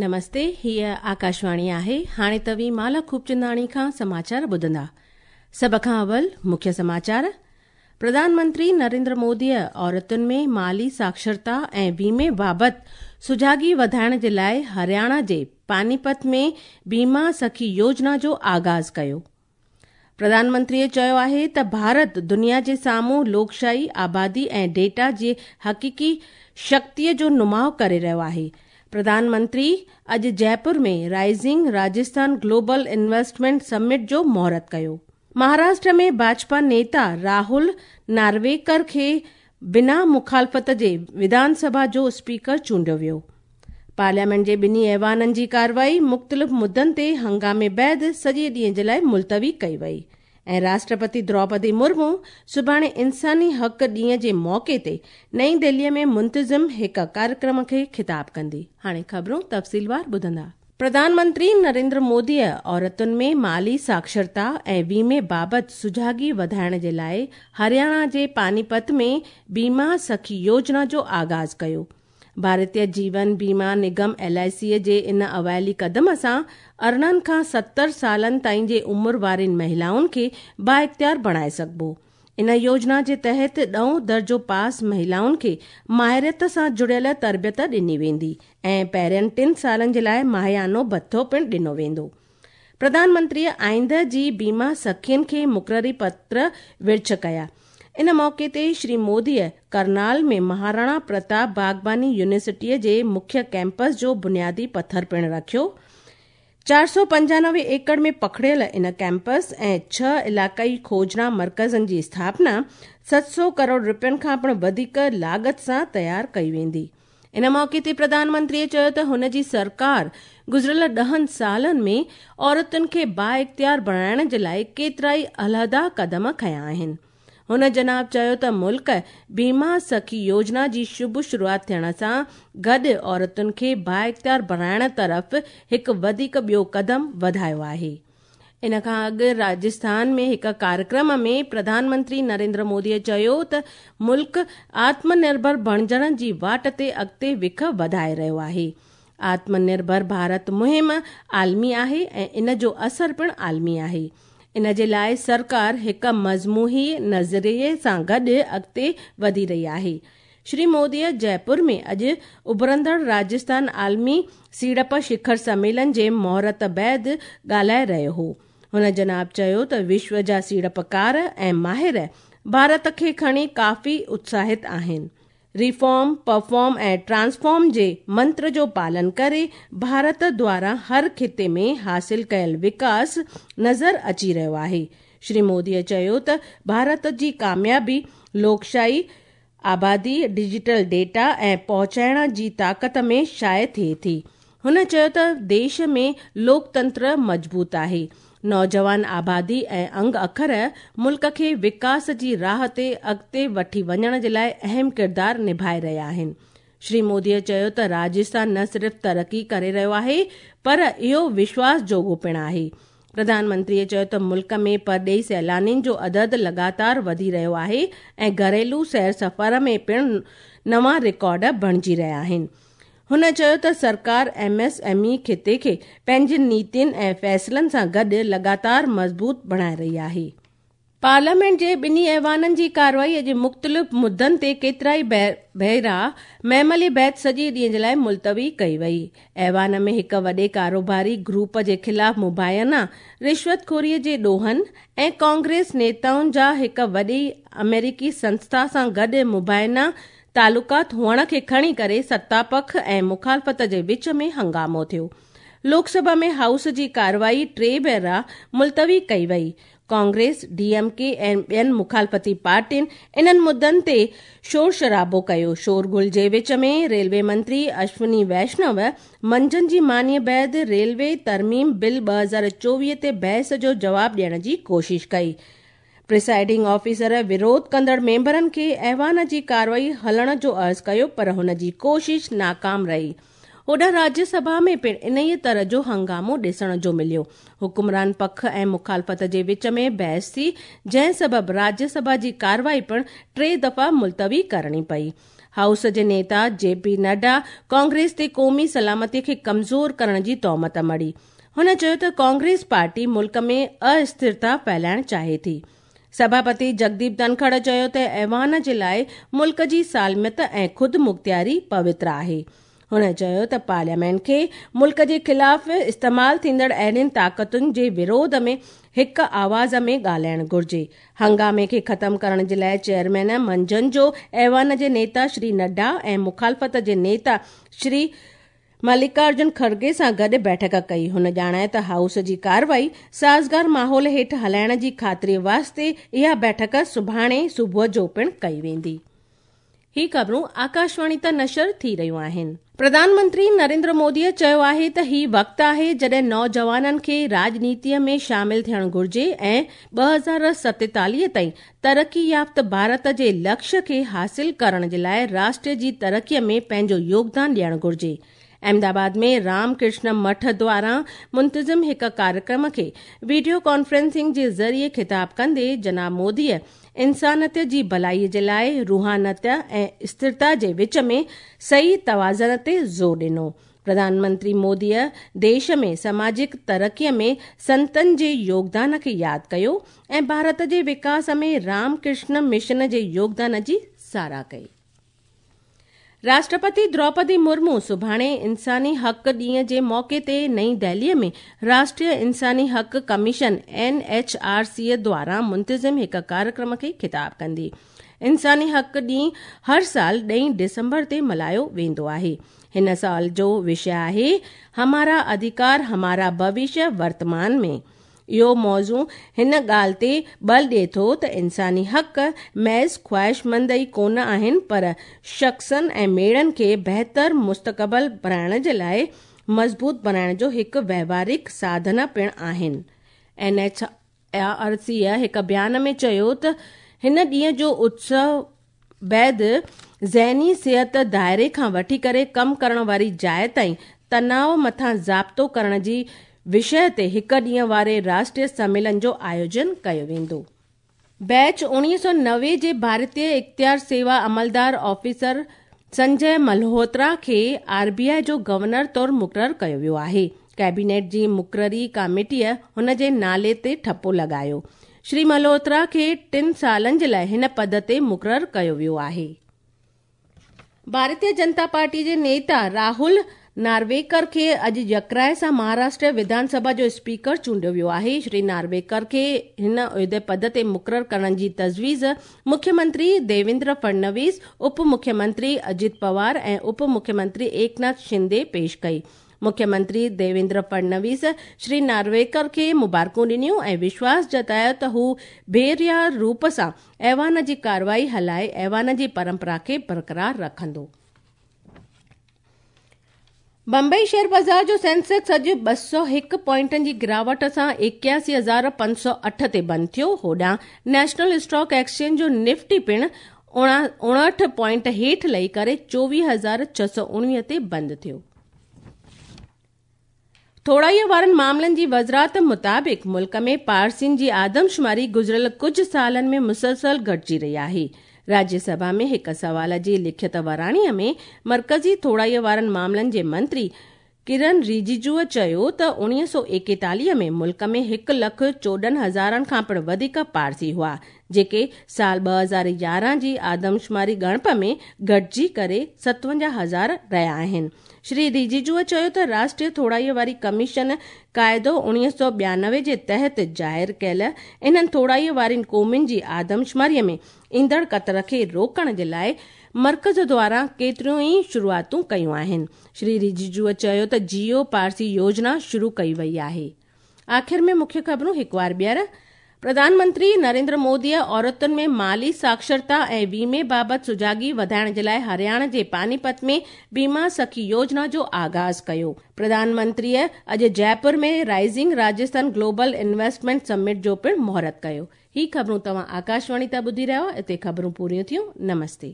نمستي، هيء آڪاشواڻي آهي. هاڻي توهين مالا خوبچنداڻي کان سماچار ٻڌندا. سڀ کان اول مکيه سماچار. پرڌان منتري نريندر موديء عورتن ۾ مالي ساڪشرتا ۽ ويمي بابت سجاڳي وڌائڻ جي لاء هرياڻا جي پانيپت ۾ بيما سکي يوجنا جو آغاز ڪيو. پرڌان منتريء چيو آهي ته ڀارت دنيا جي سامهون لوڪشاهي، آبادي ۽ ڊيٽا جي حقيقي شڪتيء جو نماء ڪري رهيو آهي. پرڌان منتري اڄ Jaipur ۾ rising Rajasthan global investment summit جو مهورت ڪيو. مهاراشٽر ۾ ڀاجپا نيتا راهول نارويڪر کي بنا مخالفت جي وڌان سڀا جو اسپيڪر چونڊيو ويو. پارليامينٽ جي ٻنهي ايوانن جي ڪارروائي مختلف مدن تي هنگامي بعد سڄي ڏينهن جي لاء ملتوي ڪئي وئي ۽ راشٽرپتي دروپدي مرمو سڀاڻي انساني حق ڏينهن جي موقعي تي نئين دهلي ۾ منتظم هڪ ڪاريڪرم کي خطاب ڪندي. هاڻي خبرون تفصيلوار ٻڌندا. پرڌان منتري نريندر موديء عورتن ۾ مالي ساڪشرتا ۽ ويمي بابت سجاڳي وڌائڻ جي لاء هرياڻا جي پانيپت ۾ بيما سکي يوجنا جو آغاز ڪيو. ڀارتيه جيون بيما نگم، ايل I سي، جي ان اوائلي قدم سان 18 کان 70 سالن تائين جي عمر وارين مهلائن کي بااختيار بڻائي سگهبو. ان يوجنا جي تحت ڏهون درجو پاس مهلائن کي ماهريت سان جڙيل تربيت ڏني ويندي ۽ پهرين ٽن سالن جي لاء ماهيانو ڀتو پڻ ڏنو ويندو. پرڌان منتريء آئنده جي بيما سکين کي مقرري پتر ورڇ ڪيا. ان موقعي تي شري موديء ڪرنال ۾ مهاراڻا پرتاپ باغباني يونيورسٽيء جي مکيه ڪئمپس جو بنيادي پٿر پڻ رکيو. 495 ايڪڙ ۾ پکڙيل ان ڪئمپس ۽ ڇهه علائقائي کوجنا مرڪزن جي اسٿاپنا 700 ڪروڙ رپين کان پڻ وڌيڪ لاڳت سان تيار ڪئي ويندي. ان موقعي تي پرڌان منتريء چيو ته هن جي سرڪار گذريل ڏهن سالن ۾ عورتن کي بااختيار بڻائڻ جي لاء ڪيترائي علحدا قدم کنيا آهن. هن جناب چيو ته ملڪ بيما سکي يوجنا جي شڀ شروعات ٿيڻ سان گڏ عورتن کي بااختيار بڻائڻ طرف هڪ وڌيڪ ٻيو قدم وڌايو آهي. ان کان اڳ راجسٿان ۾ هڪ ڪاريڪرم ۾ پرڌان منتري نريندر مودي چيو ته ملڪ آتم نرڀر بڻجڻ جي واٽ تي اڳتي وک وڌائي رهيو آهي. آتم نرڀر ڀارت مهم عالمي آهي ۽ ان جو اثر پڻ عالمي آهي. ان جي لاء سرڪار هڪ مجموعي نظريي سان گڏ اڳتي وڌي رهي آهي. شري موديء جئپور ۾ اڄ اڀرندڙ راجسٿان عالمي سيڙپ شکر سميلن جي مهورت بعد ڳالهائي رهيو هو. هن جناب چيو ته وشو جا سيڙپڪار ۽ ماهر ڀارت کي کڻي ڪافي اتساهت آهن. ريفارم، پرفارم ۽ ٽرانسفارم جي منتر جو پالن ڪري ڀارت دواران هر خطي ۾ حاصل ڪيل وڪاس نظر اچي رهيو آهي. شري موديء چيو ته ڀارت جي ڪاميابي لوڪشاهي، آبادي، ڊجيٽل ڊيٽا ۽ پهچائڻ جي طاقت ۾ شايع ٿئي ٿي. هن چيو ته ديش ۾ لوڪتنتر مضبوط آهي، نوجوان آبادي ۽ انگ اکر ملڪ کي وڪاس جي راهه تي اڳتي وٺي وڃڻ جي لاء اهم ڪردار نڀائي رهيا آهن. شري مودي چيو ته راجسٿان نه صرف ترقي ڪري رهيو آهي پر اهو وشواس جوڳو پڻ آهي. پرڌان منتريء چيو ته ملڪ ۾ پرڏيهي سيلانين جو عدد لڳاتار وڌي رهيو آهي ۽ گهريلو سير سفر ۾ پڻ نوان رڪارڊ بڻجي رهيا آهن. هن چيو ته سرڪار ايم ايس ايم اي خطي کي پنهنجين نيتين ۽ فيصلن سان گڏ لڳاتار مضبوط بڻائي رهي آهي. پارليامينٽ جي ٻنهي ايوانن جي ڪارروائي اڄ مختلف مدن تي ڪيترائي ڀيرا مهملي بعد سڄي ڏينهن جي لاء ملتوي ڪئي وئي. ايوان ۾ هڪ وڏي ڪاروباري گروپ جي خلاف مبينا رشوت خوري جي ڏوهن ۽ ڪانگريس نيتائن جا هڪ وڏي آمريڪي سنسٿا سان گڏ مبينا تعلقات هئڻ کي کڻي ڪري ستاپک ۽ مخالفت جي وچ ۾ هنگامو ٿيو. لوڪ سڀا ۾ هائوس جي ڪارروائي ٽي ڀيرا ملتوي ڪئي وئي. ڪانگريس، ڊي ايم ڪي ۽ ٻين مخالفتي پارٽين انهن مدن تي شور شرابو ڪيو. شور غل جي وچ ۾ ريلوي منتري اشوني ويشنو منجهند جي مانيء بعد ريلوي ترميم بل 2024 تي بحث جو جواب ڏيڻ جي ڪوشش ڪئي. پرسائيڊنگ آفيسر وروڌ ڪندڙ ميمبرن کي ايوان جي ڪارروائي هلڻ جو عرض ڪيو پر هن جي ڪوشش ناڪام رهي. هوڏانهن راجيه سڀا ۾ پڻ انهيء طرح جو هنگامو ڏسڻ جو مليو. حڪمران پک ۽ مخالفت جي وچ ۾ بحث ٿي، جنهن سبب راجيه سڀا جي ڪارروائي پڻ ٽي دفعا ملتوي ڪرڻي پئي. هائوس جي نيتا جي پي نڊا ڪانگريس تي قومي سلامتي کي ڪمزور ڪرڻ جي تهمت مڙهي. هن چيو ته ڪانگريس پارٽي ملڪ ۾ استٿرتا ڦهلائڻ چاهي ٿي. سڀاپتي جگديپ ڌنکڙ چيو ته ايوان جي لاءِ ملڪ جي سالميت ۽ خودمختياري پوتر آهي. هن چيو ته پارليامينٽ کي ملڪ جي خلاف استعمال ٿيندڙ اهڙين طاقتن جي وروڌ ۾ هڪ آواز ۾ ڳالهائڻ گهرجي. هنگامي کي ختم ڪرڻ جي لاءِ چيئرمين منجهند جو ايوان جي نيتا شري نڊا ۽ مخالفت جي نيتا شري ملڪارجن کڙگي سان گڏ بيٺڪ ڪئي. هن ڄاڻايو ته هائوس جي ڪارروائي سازگار ماحول هيٺ هلائڻ جي خاطري واسطي اها بيٺڪ سڀاڻي صبح جو پڻ ڪئي ويندي. هي خبرون آڪاشواڻي تان نشر ٿي رهيون آهن. پرڌان منتري نريندر موديءَ چيو آهي ته هي وقت آهي جڏهن نوجوانن کي راڄنيتيءَ ۾ شامل ٿيڻ گهرجي ۽ 2047 تائين ترقي يافته ڀارت جي لڪشيه کي حاصل ڪرڻ جي لاءِ راشٽر جي ترقيءَ ۾ پنهنجو يوگدان ڏيڻ گهرجي. احمدآباد ۾ رام ڪرشن مٺ دواران منتظم هڪ ڪاريڪرم کي وڊيو ڪانفرنسنگ جي ذريعي خطاب ڪندي جناب موديءَ انسانيت جي ڀلائي جي لاءِ روحانيت ۽ اسٿرتا جي وچ ۾ صحيح توازن تي زور ڏنو. پرڌان منتري موديءَ ديش ۾ سماجڪ ترقيءَ ۾ سنتن جي يوگدان کي ياد ڪيو ۽ ڀارت جي وڪاس ۾ رام ڪرشن مشن جي يوگدان جي ساراهه ڪئي. راشٽرپتي دروپدي مرمو سڀاڻي انساني حق ڏينهن جي موقعي تي نئين دهليءَ ۾ راشٽريه انساني حق ڪميشن NHRC دواران منتظم هڪ ڪاريڪرم کي خطاب ڪندي. انساني حق ڏينهن هر سال 10 ڊسمبر تي ملهايو ويندو آهي. هن سال جو وشيه آهي همارا اڌڪار همارا ڀوشيه ورتمان ۾. اهو موضوع هن ڳالهه تي ٻل ڏئي ٿو ته انساني حق محض خواهشمند ئي ڪونه آهن پر شخصن ۽ ميڙن کي بهتر مستقبل بڻائڻ جي لاءِ مضبوط بڻائڻ جو هڪ وهوارڪ ساڌن پڻ آهن. NHRC هڪ بيان ۾ چيو ته هن ڏينهن جو اتسو بعد ذهني صحت دائري کان وٺي ڪري ڪم ڪرڻ واري جاءِ تائين تناءُ مٿان ضابطو ڪرڻ جي وشيه تي هڪ ڏينهن واري راشٽريه سميلن جو آيوجن ڪيو ويندو. بيچ 1990 جي ڀارتيه اختيار سيوا عملدار آفيسر سنجي ملهوترا کي RBI جو گورنر طور مقرر ڪيو ويو آهي. ڪيبينيٽ جي مقرري ڪاميٽيءَ هن جي نالي تي ٺپو لڳايو. شري ملهوترا کي 3 سالن جي لاءِ هن پد تي مقرر ڪيو ويو آهي. ڀارتيه جنتا پارٽي جي نيتا راهول نارويڪر کي اڄ يڪراءِ سان مهاراشٽر وڌان سڀا جو اسپيڪر چونڊيو ويو آهي. شري نارويڪر کي هن عهدي پد تي مقرر ڪرڻ جي تجويز مکيه منتري ديويندر فڙنويس، اپ مکيه منتري اجيت پوار ۽ اپ مکيه منتري ايڪناٿ شندي پيش ڪئي. مکيه منتري ديويندر فڙنويس شري نارويڪر کي مبارڪون ڏنيون ۽ وشواس جتايو ته هو بي ريا روپ سان ايوان جي ڪارروائي هلائي ايوان جي پرمپرا کي برقرار رکندو. بمبئي شيئر بازار جو سينسيڪس اڄ 201 پوائنٽن جي گراوٽ سان 81,508 تي بند ٿيو. هوڏانهن نيشنل اسٽاڪ ايڪسچينج جو نفٽي پڻ 59 پوائنٽ هيٺ لهي ڪري 24,619 تي بند ٿيو. ٿوڙائيءَ وارن معاملن جي وزارت مطابق ملڪ ۾ پارسين جي آدمشماري گذريل ڪجهه سالن ۾ مسلسل گهٽجي رهي آهي. راجيه سڀا ۾ هڪ سوال جي لکت وراڻيءَ ۾ مرڪزي ٿوڙائيءَ وارن معاملن جي منتري ڪرن رجيجوءَ چيو ته 1941 ۾ ملڪ ۾ 1,14,000 کان پڻ وڌيڪ پارسي هئا، جيڪي سال 2011 جي آدمشماري ڳڻپ ۾ گهٽجي ڪري 57,000 رهيا آهن. شري رجيجوءَ چيو ته راشٽريه ٿوڙائيءَ واري ڪميشن قاعدو 1992 جي تحت ظاهر ڪيل انهن ٿوڙائيءَ وارين قومن جي آدمشماريءَ ۾ ايندڙ ڪتر کي روڪڻ جي لاءِ مرڪز دواران ڪيتريون ئي شروعاتون ڪيون آهن. شري رجيجوءَ چيو ته جيو پارسي يوجنا شروع ڪئي وئي آهي. آخر ۾ مکيه خبرون هڪ وار ٻيهر. پرڌان منتري نريندر موديءَ عورتن ۾ مالي ساڪشرتا ۽ ويمي بابت سجاڳي وڌائڻ جي لاءِ هرياڻا جي پانيپت ۾ بيما سکي يوجنا جو آغاز ڪيو. پرڌان منتريءَ اڄ Jaipur ۾ rising Rajasthan global investment summit جو پڻ مهورت ڪيو. هي خبرون توهان آڪاشواڻي تان ٻڌي رهيا آهيو. اتي خبرون پوريون ٿيون. نمستي.